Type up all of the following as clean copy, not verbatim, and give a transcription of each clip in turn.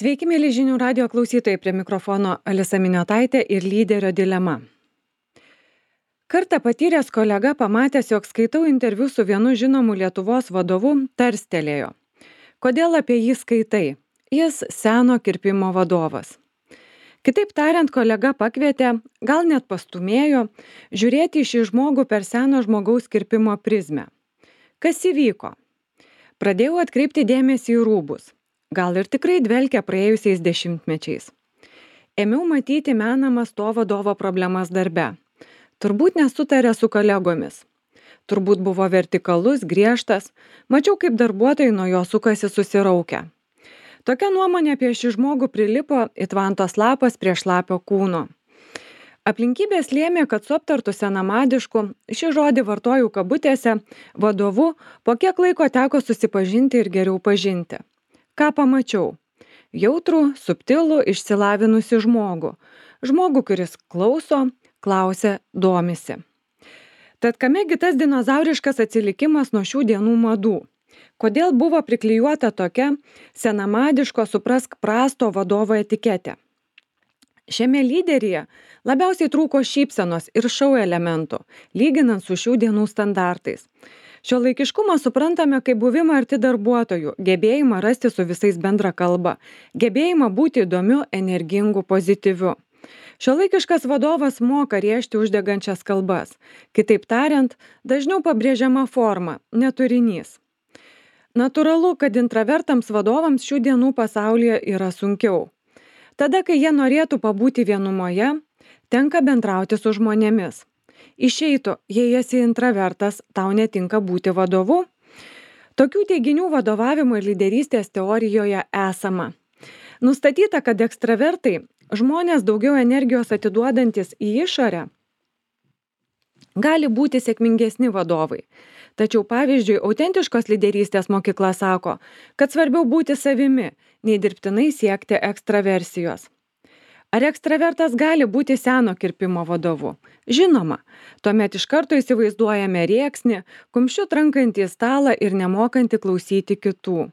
Sveiki, mėly žinių radio klausytojai, prie mikrofono Alisa Miniotaitė ir lyderio dilema. Kartą patyręs kolega pamatęs, jog skaitau interviu su vienu žinomu Lietuvos vadovu, tarstelėjo. Kodėl apie jį skaitai? Jis seno kirpimo vadovas. Kitaip tariant, kolega pakvietė, gal net pastumėjo, žiūrėti į šį žmogų per seno žmogaus kirpimo prizmę. Kas įvyko? Pradėjau atkreipti dėmesį į rūbus. Gal ir tikrai dvelkia praėjusiais dešimtmečiais. Ėmiau matyti menamas to vadovo problemas darbe. Turbūt nesutarė su kolegomis. Turbūt buvo vertikalus, griežtas. Mačiau, kaip darbuotojai nuo jo sukasi susiraukę. Tokia nuomonė apie šį žmogų prilipo it vantos lapas prie šlapio kūno. Aplinkybės lėmė, kad su aptartu senamadišku, šį žodį vartojau kabutėse, vadovu po kiek laiko teko susipažinti ir geriau pažinti. Ką pamačiau? Jautrų, subtilų, išsilavinusi žmogų. Žmogų, kuris klauso, klausia, domisi. Tad kamegi tas dinozauriškas atsilikimas nuo šių dienų madų? Kodėl buvo priklijuota tokia senamadiško suprask prasto vadovo etiketė? Šiame lyderyje labiausiai trūko šypsenos ir šou elementų, lyginant su šių dienų standartais. Šiuolaikiškumą suprantame kaip buvimą arti darbuotojų, gebėjimą rasti su visais bendrą kalbą, gebėjimą būti įdomiu, energingu, pozityviu. Šiuolaikiškas vadovas moka rėžti uždegančias kalbas. Kitaip tariant, dažniau pabrėžiama forma, ne turinys. Natūralu, kad intravertams vadovams šių dienų pasaulyje yra sunkiau. Tada, kai jie norėtų pabūti vienumoje, tenka bendrauti su žmonėmis. Išeitų, jei esi intravertas, tau netinka būti vadovu? Tokių teiginių vadovavimo ir lyderystės teorijoje esama. Nustatyta, kad ekstravertai, žmonės daugiau energijos atiduodantis į išorę, gali būti sėkmingesni vadovai. Tačiau pavyzdžiui, autentiškos lyderystės mokykla sako, kad svarbiau būti savimi, nei dirbtinai siekti ekstraversijos. Ar ekstravertas gali būti seno kirpimo vadovu? Žinoma, tuomet iš karto įsivaizduojame rėksnį, kumščiu trankantį į stalą ir nemokantį klausyti kitų.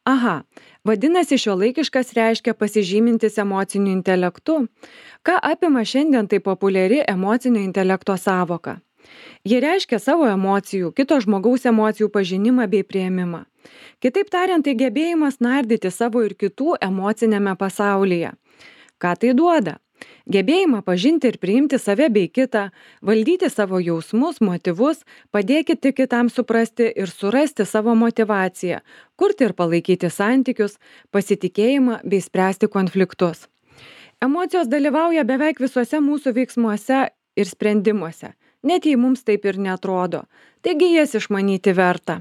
Aha, vadinasi šiuolaikiškas reiškia pasižymintis emociniu intelektu. Ką apima šiandien tai populiari emocinio intelekto sąvoka? Ji reiškia savo emocijų, kito žmogaus emocijų pažinimą bei priėmimą. Kitaip tariant, tai gebėjimas nardyti savo ir kitų emocinėme pasaulyje. Ką tai duoda? Gebėjimą pažinti ir priimti save bei kitą, valdyti savo jausmus, motyvus, padėkite kitam suprasti ir surasti savo motyvaciją, kurti ir palaikyti santykius, pasitikėjimą bei spręsti konfliktus. Emocijos dalyvauja beveik visuose mūsų veiksmuose ir sprendimuose, net jei mums taip ir neatrodo, taigi jas išmanyti verta.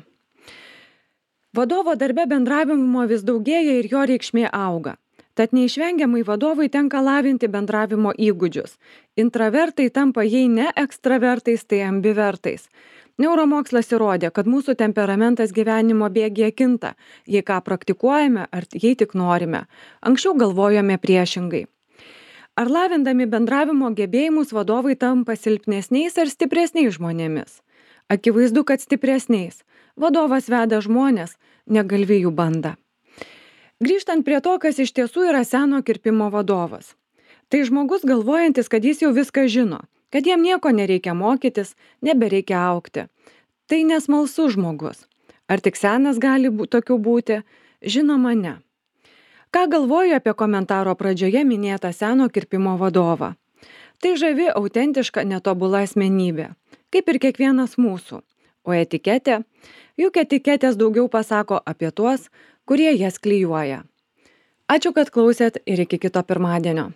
Vadovo darbe bendravimo vis daugėja ir jo reikšmė auga. Tad neišvengiamai vadovui tenka lavinti bendravimo įgūdžius. Intravertai tampa jei ne ekstravertais, tai ambivertais. Neuromokslas įrodė, kad mūsų temperamentas gyvenimo bėgyje kinta, jei ką praktikuojame ar jei tik norime. Anksčiau galvojome priešingai. Ar lavindami bendravimo gebėjimus vadovai tampa silpnesniais ar stipresniais žmonėmis? Akivaizdu, kad stipresniais. Vadovas veda žmonės, ne galvijų bandą. Grįžtant prie to, kas iš tiesų yra seno kirpimo vadovas. Tai žmogus galvojantis, kad jis jau viską žino, kad jam nieko nereikia mokytis, nebereikia augti. Tai nesmalsus žmogus. Ar tik senas gali tokių būti? Žinoma, ne. Ką galvoju apie komentaro pradžioje minėtą seno kirpimo vadovą? Tai žavi, autentiška, netobula asmenybė, kaip ir kiekvienas mūsų. O etiketė? Juk etiketės daugiau pasako apie tuos, kurie jas klijuoja. Ačiū, kad klausėt ir iki kito pirmadienio.